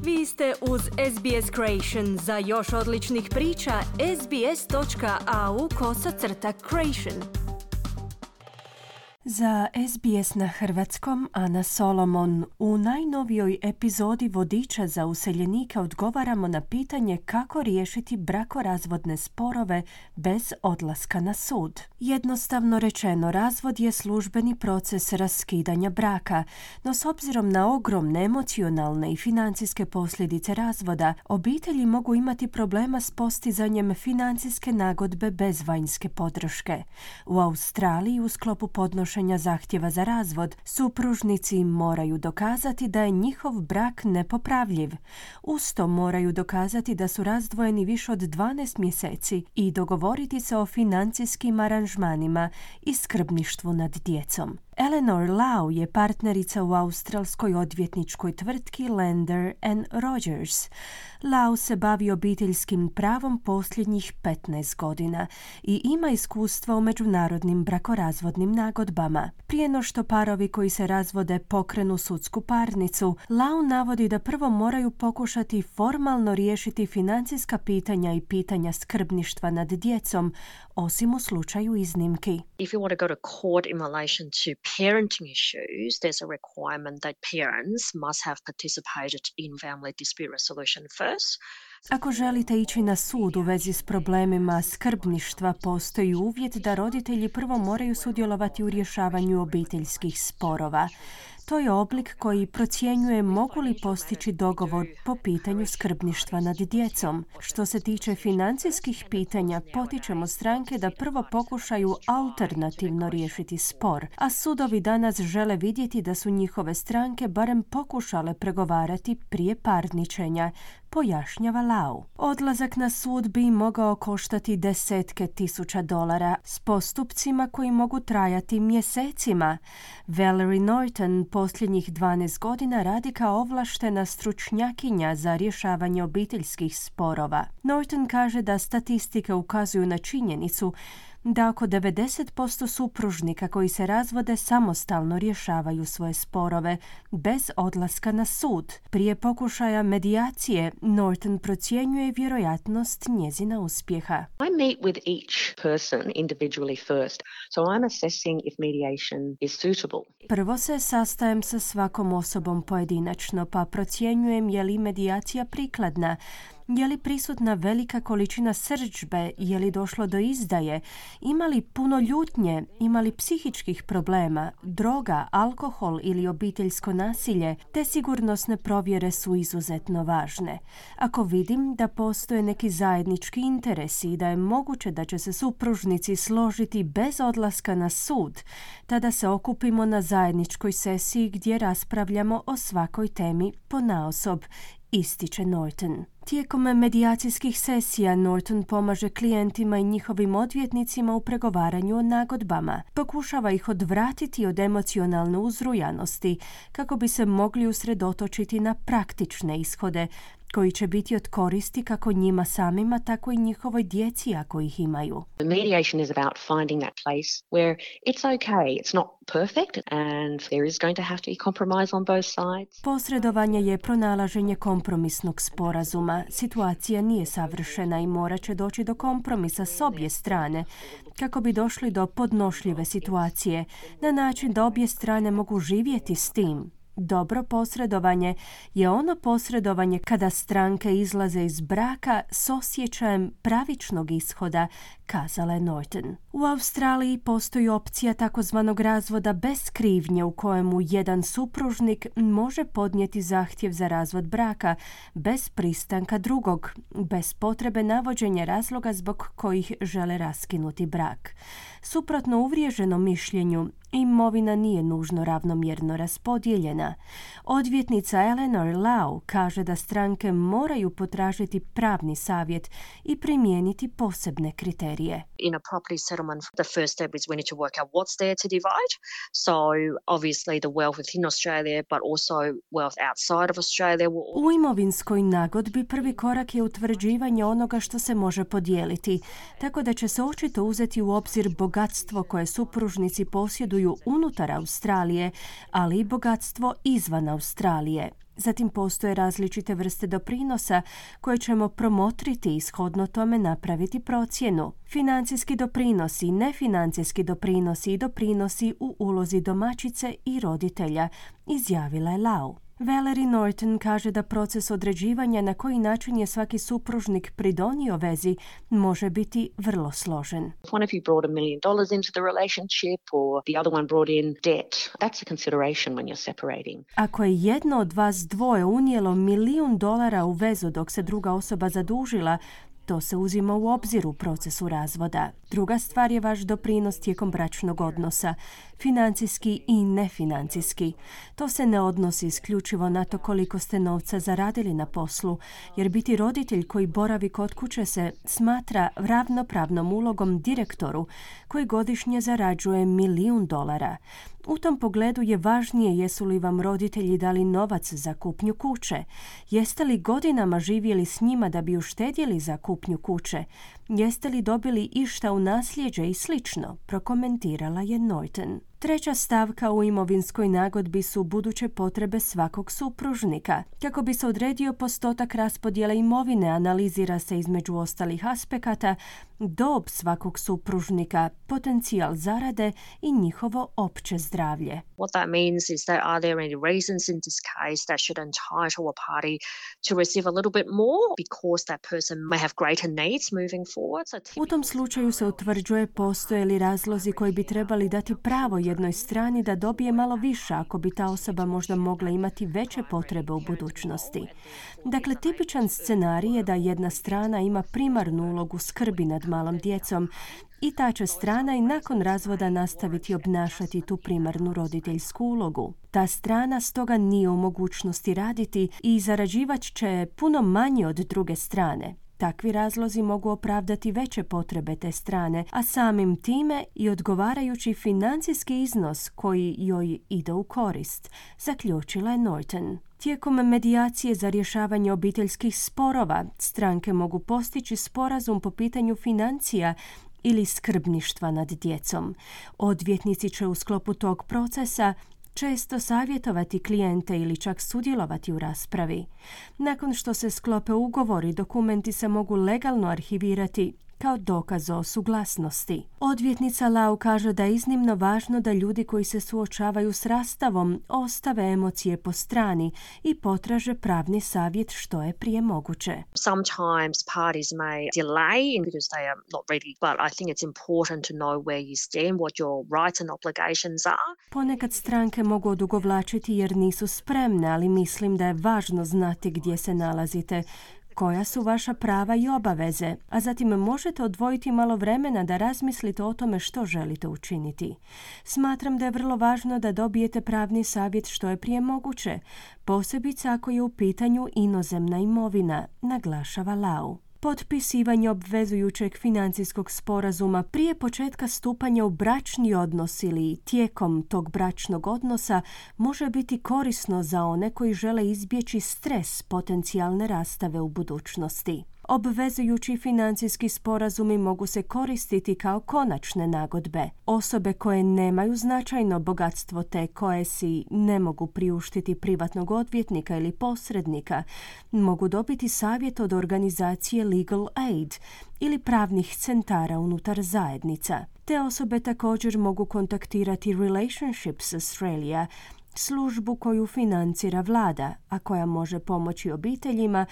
Vi ste uz SBS Creation. Za još odličnih priča, sbs.au/creation. Za SBS na hrvatskom Ana Solomon. U najnovijoj epizodi Vodiča za useljenike odgovaramo na pitanje kako riješiti brakorazvodne sporove bez odlaska na sud. Jednostavno rečeno, razvod je službeni proces raskidanja braka, no s obzirom na ogromne emocionalne i financijske posljedice razvoda, obitelji mogu imati problema s postizanjem financijske nagodbe bez vanjske podrške. U Australiji u sklopu podnošenja zahtjeva za razvod, supružnici moraju dokazati da je njihov brak nepopravljiv. Uz to moraju dokazati da su razdvojeni više od 12 mjeseci i dogovoriti se o financijskim aranžmanima i skrbništvu nad djecom. Eleanor Lau je partnerica u australskoj odvjetničkoj tvrtki Lander & Rogers. Lau se bavi obiteljskim pravom posljednjih 15 godina i ima iskustva u međunarodnim brakorazvodnim nagodbama. Prije no što parovi koji se razvode pokrenu sudsku parnicu, Lau navodi da prvo moraju pokušati formalno riješiti financijska pitanja i pitanja skrbništva nad djecom, osim u slučaju iznimki. If you want to go to court in relation to parenting issues, there's a requirement that parents must have participated in family dispute resolution first. Ako želite ići na sud u vezi s problemima skrbništva, postoji uvjet da roditelji prvo moraju sudjelovati u rješavanju obiteljskih sporova. To je oblik koji procjenjuje mogu li postići dogovor po pitanju skrbništva nad djecom. Što se tiče financijskih pitanja, potičemo stranke da prvo pokušaju alternativno riješiti spor, a sudovi danas žele vidjeti da su njihove stranke barem pokušale pregovarati prije parničenja, pojašnjava Lau. Odlazak na sud bi mogao koštati desetke tisuća dolara s postupcima koji mogu trajati mjesecima. Valerie Norton posljednjih 12 godina radi kao ovlaštena stručnjakinja za rješavanje obiteljskih sporova. Norton kaže da statistike ukazuju na činjenicu da oko 90% supružnika koji se razvode samostalno rješavaju svoje sporove bez odlaska na sud. Prije pokušaja medijacije, Norton procjenjuje vjerojatnost njezina uspjeha. I meet with each person individually first, so I'm assessing if mediation is suitable. Prvo se sastajem sa svakom osobom pojedinačno, pa procjenjujem je li medijacija prikladna. Je li prisutna velika količina srdžbe, je li došlo do izdaje, ima li puno ljutnje, ima li psihičkih problema, droga, alkohol ili obiteljsko nasilje, te sigurnosne provjere su izuzetno važne. Ako vidim da postoje neki zajednički interesi i da je moguće da će se supružnici složiti bez odlaska na sud, tada se okupimo na zajedničkoj sesiji gdje raspravljamo o svakoj temi ponaosob, ističe Norton. Tijekom medijacijskih sesija Norton pomaže klijentima i njihovim odvjetnicima u pregovaranju o nagodbama. Pokušava ih odvratiti od emocionalne uzrujanosti kako bi se mogli usredotočiti na praktične ishode koji će biti od koristi kako njima samima, tako i njihovoj djeci ako ih imaju. Mediation is about finding that place where it's okay, it's not perfect and there is going to have to be compromise on both sides. Posredovanje je pronalaženje kompromisnog sporazuma. Situacija nije savršena i morat će doći do kompromisa s obje strane kako bi došli do podnošljive situacije na način da obje strane mogu živjeti s tim. Dobro posredovanje je ono posredovanje kada stranke izlaze iz braka s osjećajem pravičnog ishoda, kazala je Norton. U Australiji postoji opcija takozvanog razvoda bez krivnje u kojemu jedan supružnik može podnijeti zahtjev za razvod braka bez pristanka drugog, bez potrebe navođenja razloga zbog kojih žele raskinuti brak. Suprotno uvriježenom mišljenju, imovina nije nužno ravnomjerno raspodijeljena. Odvjetnica Eleanor Lau kaže da stranke moraju potražiti pravni savjet i primijeniti posebne kriterije. In a property settlement, the first step is we need to work out what's there to divide. So obviously the wealth within Australia, but also wealth outside of Australia. U imovinskoj nagodbi prvi korak je utvrđivanje onoga što se može podijeliti, tako da će se očito uzeti u obzir bogatstvo koje supružnici posjeduju unutar Australije, ali i bogatstvo izvan Australije. Zatim postoje različite vrste doprinosa koje ćemo promotriti i shodno tome napraviti procjenu. Financijski doprinosi, nefinancijski doprinosi i doprinosi u ulozi domaćice i roditelja, izjavila je Lau. Valerie Norton kaže da proces određivanja na koji način je svaki supružnik pridonio vezi može biti vrlo složen. If one of you brought $1 million into the relationship or the other one brought in debt, that's a consideration when you're separating. Ako je jedno od vas dvoje unijelo $1 milijun u vezu dok se druga osoba zadužila, to se uzima u obzir u procesu razvoda. Druga stvar je vaš doprinos tijekom bračnog odnosa, financijski i nefinancijski. To se ne odnosi isključivo na to koliko ste novca zaradili na poslu, jer biti roditelj koji boravi kod kuće se smatra ravnopravnom ulogom direktoru koji godišnje zarađuje $1 milijun. U tom pogledu je važnije jesu li vam roditelji dali novac za kupnju kuće. Jeste li godinama živjeli s njima da bi uštedjeli za kupnju kuće? Jeste li dobili išta u nasljeđe i slično, prokomentirala je Norton. Treća stavka u imovinskoj nagodbi su buduće potrebe svakog supružnika. Kako bi se odredio postotak raspodjele imovine, analizira se između ostalih aspekata dob svakog supružnika, potencijal zarade i njihovo opće zdravlje. What that means is that are there any reasons in this case that should entitle a party to receive a little bit more because that person may have greater needs moving forward. U tom slučaju se utvrđuje postoje li razlozi koji bi trebali dati pravo jednoj strani da dobije malo više ako bi ta osoba možda mogla imati veće potrebe u budućnosti. Dakle, tipičan scenarij je da jedna strana ima primarnu ulogu skrbi nad malom djecom i ta će strana i nakon razvoda nastaviti obnašati tu primarnu roditeljsku ulogu. Ta strana stoga nije u mogućnosti raditi i zarađivat će puno manje od druge strane. Takvi razlozi mogu opravdati veće potrebe te strane, a samim time i odgovarajući financijski iznos koji joj ide u korist, zaključila je Norton. Tijekom medijacije za rješavanje obiteljskih sporova, stranke mogu postići sporazum po pitanju financija ili skrbništva nad djecom. Odvjetnici će u sklopu tog procesa često savjetovati klijente ili čak sudjelovati u raspravi. Nakon što se sklope ugovori, dokumenti se mogu legalno arhivirati kao dokaz o suglasnosti. Odvjetnica Lau kaže da je iznimno važno da ljudi koji se suočavaju s rastavom ostave emocije po strani i potraže pravni savjet što je prije moguće. Sometimes parties may delay because they are not ready, but I think it's important to know where you stand, what your rights and obligations are. Ponekad stranke mogu odugovlačiti jer nisu spremne, ali mislim da je važno znati gdje se nalazite, koja su vaša prava i obaveze, a zatim možete odvojiti malo vremena da razmislite o tome što želite učiniti. Smatram da je vrlo važno da dobijete pravni savjet što je prije moguće, posebice ako je u pitanju inozemna imovina, naglašava Lau. Potpisivanje obvezujućeg financijskog sporazuma prije početka stupanja u bračni odnos ili tijekom tog bračnog odnosa može biti korisno za one koji žele izbjeći stres potencijalne rastave u budućnosti. Obvezujući financijski sporazumi mogu se koristiti kao konačne nagodbe. Osobe koje nemaju značajno bogatstvo te koje si ne mogu priuštiti privatnog odvjetnika ili posrednika mogu dobiti savjet od organizacije Legal Aid ili pravnih centara unutar zajednica. Te osobe također mogu kontaktirati Relationships Australia, službu koju financira vlada, a koja može pomoći obiteljima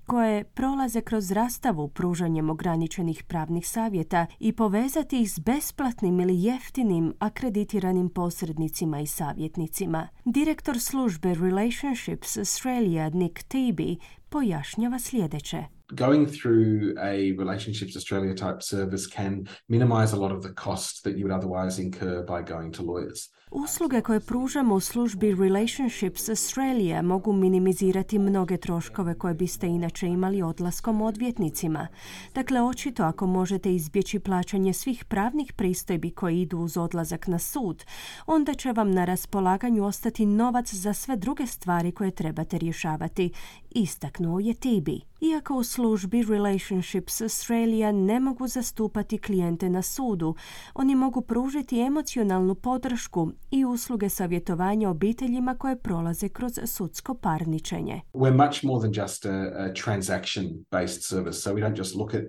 koje prolaze kroz rastavu pružanjem ograničenih pravnih savjeta i povezati ih s besplatnim ili jeftinim akreditiranim posrednicima i savjetnicima. Direktor službe Relationships Australia Nick Teby pojašnjava sljedeće. Going through a Relationships Australia type service can minimize a lot of the cost that you would otherwise incur by going to lawyers. Usluge koje pružamo u službi Relationships Australia mogu minimizirati mnoge troškove koje biste inače imali odlaskom odvjetnicima. Dakle, očito ako možete izbjeći plaćanje svih pravnih pristojbi koji idu uz odlazak na sud, onda će vam na raspolaganju ostati novac za sve druge stvari koje trebate rješavati, istaknuo je Teby. Iako u službi Relationships Australia ne mogu zastupati klijente na sudu, oni mogu pružiti emocionalnu podršku i usluge savjetovanja obiteljima koje prolaze kroz sudsko parničenje. We're much more than just a transaction-based service, so we don't just look at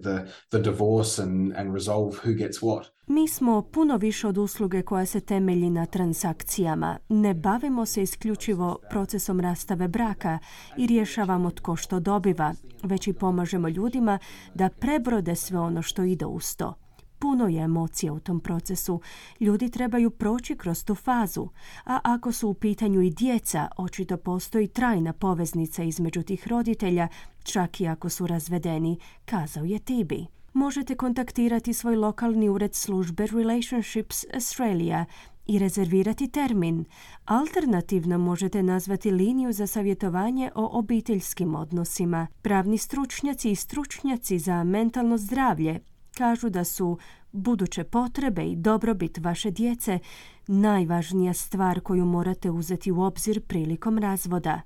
the divorce and resolve who gets what. Mi smo puno više od usluge koja se temelji na transakcijama. Ne bavimo se isključivo procesom rastave braka i rješavamo tko što dobiva, već i pomažemo ljudima da prebrode sve ono što ide uz to. Puno je emocija u tom procesu. Ljudi trebaju proći kroz tu fazu, a ako su u pitanju i djeca, očito postoji trajna poveznica između tih roditelja, čak i ako su razvedeni, kazao je Tibi. Možete kontaktirati svoj lokalni ured službe Relationships Australia i rezervirati termin. Alternativno možete nazvati liniju za savjetovanje o obiteljskim odnosima. Pravni stručnjaci i stručnjaci za mentalno zdravlje kažu da su buduće potrebe i dobrobit vaše djece najvažnija stvar koju morate uzeti u obzir prilikom razvoda.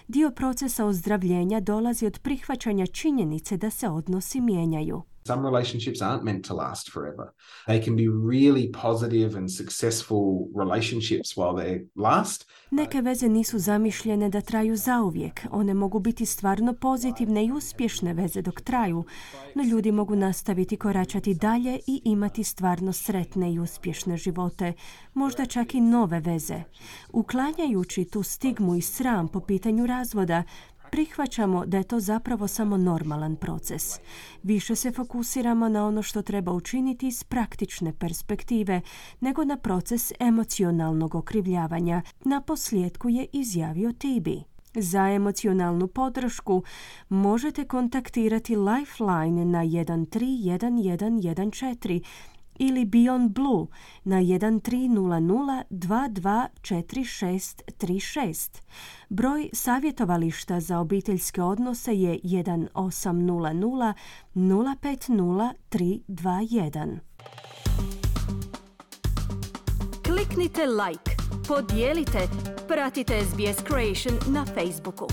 Dio procesa ozdravljenja dolazi od prihvaćanja činjenice da se odnosi mijenjaju. Some relationships aren't meant to last forever. They can be really positive and successful relationships while they last. Neke veze nisu zamišljene da traju zauvijek. One mogu biti stvarno pozitivne i uspješne veze dok traju, no ljudi mogu nastaviti koračati dalje i imati stvarno sretne i uspješne živote, možda čak i nove veze. Uklanjajući tu stigmu i sram po pitanju razvoda, prihvaćamo da je to zapravo samo normalan proces. Više se fokusiramo na ono što treba učiniti iz praktične perspektive, nego na proces emocionalnog okrivljavanja. Na posljedku je izjavio Tibi. Za emocionalnu podršku možete kontaktirati Lifeline na 131114 ili Beyond Blue na 1300 224636. Broj savjetovališta za obiteljske odnose je 1800 050 321. Kliknite like, podijelite, pratite SBS Creation na Facebooku.